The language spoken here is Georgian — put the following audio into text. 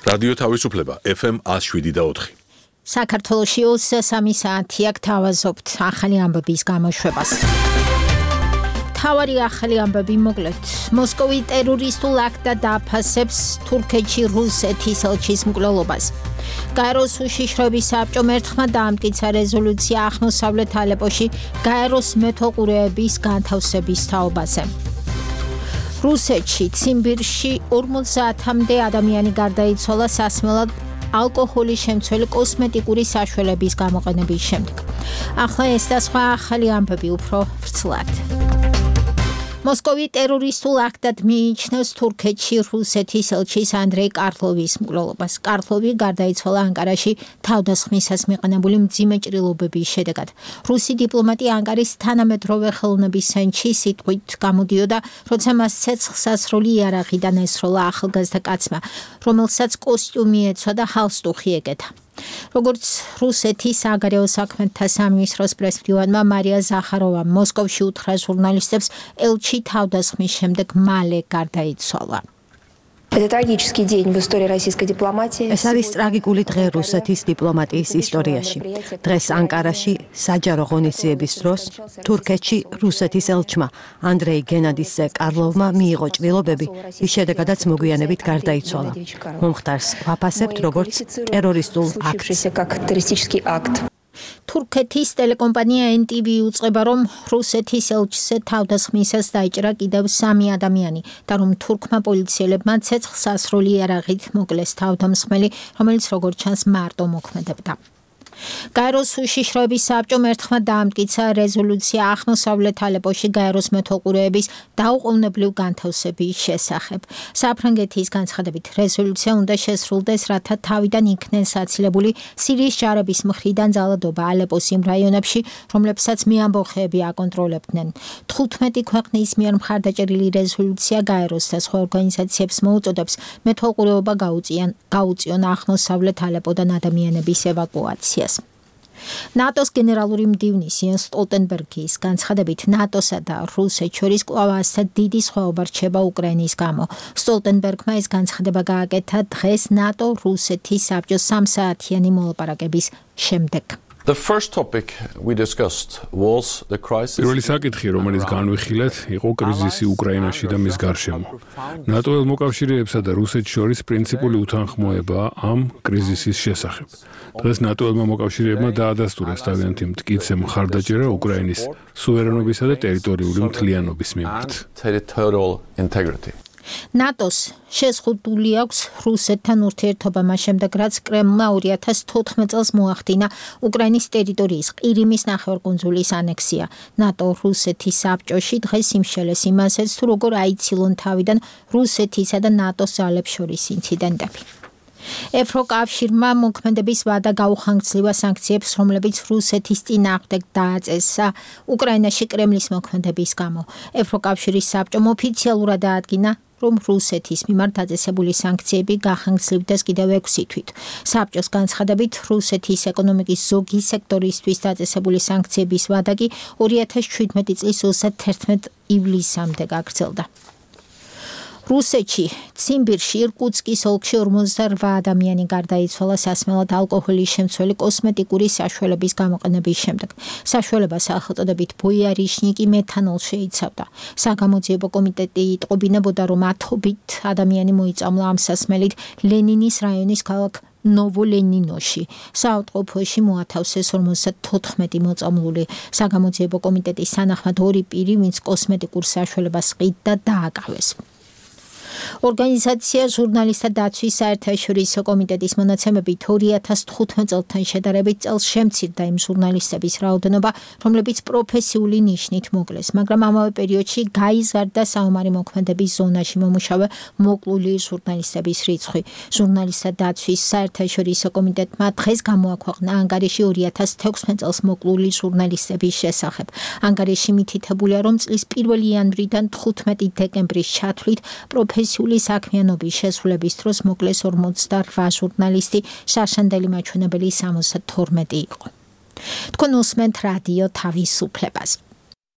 რადიო თავისუფლება FM 107.4. საქართველოში 23 საათი აქ თავაზობთ ახალი ამბების გამოშვებას. თავარი ახალი ამბები მოკლედ. მოსკოვი ტერორისტულ აქტად დააფასებს თურქეთში რუსეთის ელჩის მკვლელობას. გაეროს უშიშროების საბჭომ ერთხმად დაამტკიცა რეზოლუცია აღმოსავლეთ ალეპოში გაეროს მეთვალყურეების განთავსების თაობაზე. რუსეთში ციმბირში 50-მდე ადამიანი გარდაიცვალა სასმელად ალკოჰოლის შემცველი კოსმეტიკური საშუალების გამოყენების შემდეგ. ახლა ეს და სხვა ახალი ამბები უფრო ვრცლად. მოსკოვი ტერორისტულ აქტად მიიჩნევს თურქეთში რუსეთის ელჩის ანდრეი კარლოვის მკვლელობას. კარლოვი გარდაიცვალა ანკარაში თავდასხმისას მიყენებული მძიმე ჭრილობების შედეგად. რუსი დიპლომატი ანკარის თანამედროვე ხელოვნების ცენტრში სიტყვით გამოდიოდა, როცა მას ცეცხლსასროლი იარაღიდან ესროლა ახალგაზრდა კაცმა, რომელსაც კოსტიუმი ეცვა და ჰალსტუხი ეკეთა. როგორც რუსეთის საგარეო საქმეთა სამინისტროს პრესმდივანმა მარია ზახაროვამ მოსკოვში უთხრა ჟურნალისტებს, ელჩი თავდასხმის შემდეგ მალე გარდაიცვალა. ეს არის ტრაგიკული დღე რუსეთის დიპლომატიის ისტორიაში. დღეს ანკარაში საჯარო ღონისძიების დროს თურქეთში რუსეთის ელჩმა ანდრეი გენადიძე კარლოვმა მიიღო ჭრილობები, რის შედეგადაც მოგვიანებით გარდაიცვალა. მომხდარს ვაფასებთ როგორც ტერორისტულ აქტს. თურქეთის ტელეკომპანია NTV უწყება, რომ რუსეთის ელჩზე თავდასხმისას დაიჭრა კიდევ 3 ადამიანი და რომ თურქმა პოლიციელებმა ცეცხლსასროლი იარაღით მოკლეს თავდამსხმელი, რომელიც როგორც ჩანს მარტო მოქმედებდა. გაეროს უშიშროების საბჭომ ერთხმად დაამტკიცა რეზოლუცია აღმოსავლეთ ალეპოში გაეროს მეთვალყურეების დაუყოვნებლივ განთავსების შესახებ. საფრანგეთის განცხადებით რეზოლუცია უნდა შესრულდეს, რათა თავიდან იქნენ საცილებული სირიის ჯარების მხრიდან ძალადობა ალეპოს იმ რაიონებში, რომლებსაც მეამბოხეები აკონტროლებდნენ. 15 ქვეყნის მიერ მხარდაჭერილი რეზოლუცია გაეროს და სხვა ორგანიზაციებს მოუწოდებს მეთვალყურეობა გაუწიონ აღმოსავლეთ ალეპოდან ადამიანების ევაკუაციას. ნატოს გენერალური მდივნის იენს სტოლტენბერგის განცხადებით ნატოსა და რუსეთს შორის კვლავ ასეთ დიდი სხვაობა რჩება უკრაინის გამო. სტოლტენბერგმა ეს განცხადება გააკეთა დღეს ნატო-რუსეთის საბჭოს 3 საათიანი მოლაპარაკების შემდეგ. პირველი საკითხი, რომელიც განვიხილეთ, იყო კრიზისი უკრაინაში და მის გარშემო. ნატო-ელ მოკავშირეებსა და რუსეთს შორის პრინციპული უთანხმოებაა ამ კრიზისის შესახებ. დღეს ნატო-ელმა მოკავშირეებმა დაადასტურეს თავიანთი მტკიცე მხარდაჭერა უკრაინის სუვერენობისა და ტერიტორიული მთლიანობის მიმართ. ნატოს შეზღუდული აქვს რუსეთთან ურთიერთობა მას შემდეგ, რაც კრემლმა 2014 წელს მოახდინა უკრაინის ტერიტორიის ყირიმის ნახევარკუნძულის ანექსია. ნატო-რუსეთის საბჭოში დღეს იმშელეს იმასაც, თუ როგორ აიცილონ თავიდან რუსეთისა და ნატოს ძალებს შორის ინციდენტები. ევროკავშირმა მოქმედების ვადა გაუხანგრძლივა სანქციებს, რომლებიც რუსეთის წინააღმდეგ დააწესა უკრაინაში კრემლის მოქმედების გამო. ევროკავშირის საბჭომ ოფიციალურად დაადგინა, რომ რუსეთის მიმართ დაწესებული სანქციები გახანგრძლივდეს კიდევ 6 თვით. საბჭოს განცხადებით, რუსეთის ეკონომიკის ზოგი სექტორისთვის დაწესებული სანქციების ვადა კი 2017 წლის 31 ივლისამდე გაგრძელდა. რუსეთში ციმბირში ირკუტსკის ოლქში 48 ადამიანი გარდაიცვალა სასმელად ალკოჰოლის შემცველი კოსმეტიკური საშუალების გამოყენების შემდეგ. საშუალება სახელწოდებით ბოიარიშნიკი მეთანოლს შეიცავდა. საგამოძიებო კომიტეტი იტყობინებოდა, რომ ათობით ადამიანი მოიწამლა ამ სასმელით ლენინის რაიონის ქალაქ ნოვოლენინოში. საავადმყოფოში მოათავსეს 54 მოწამლული. საგამოძიებო კომიტეტის თანახმად 2 პირი, ვინც კოსმეტიკურ საშუალებას ყიდდა, დააკავეს. ორგანიზაცია ჟურნალისტთა დაცვის საერთაშორისო კომიტეტის მონაცემებით 2015 წელთან შედარებით წელს შემცირდა იმ ჟურნალისტების რაოდენობა, რომლებიც პროფესიული ნიშნით მოკლეს, მაგრამ ამავე პერიოდში გაიზარდა საომარი მოქმედების ზონაში მომუშავე მოკლული ჟურნალისტების რიცხვი. ჟურნალისტთა დაცვის საერთაშორისო კომიტეტმა დღეს გამოაქვეყნა ანგარიში 2016 წელს მოკლული ჟურნალისტების შესახებ. ანგარიში მითითებულია, რომ წლის 1 იანვრიდან 15 დეკემბრის ჩათვლით პროფესიული საქმიანობის შესრულების დროს მოკლეს 48 ჟურნალისტი, შარშანდელი მაჩვენებელი 72 იყო. თქვენ უსმენთ რადიო თავისუფლებას.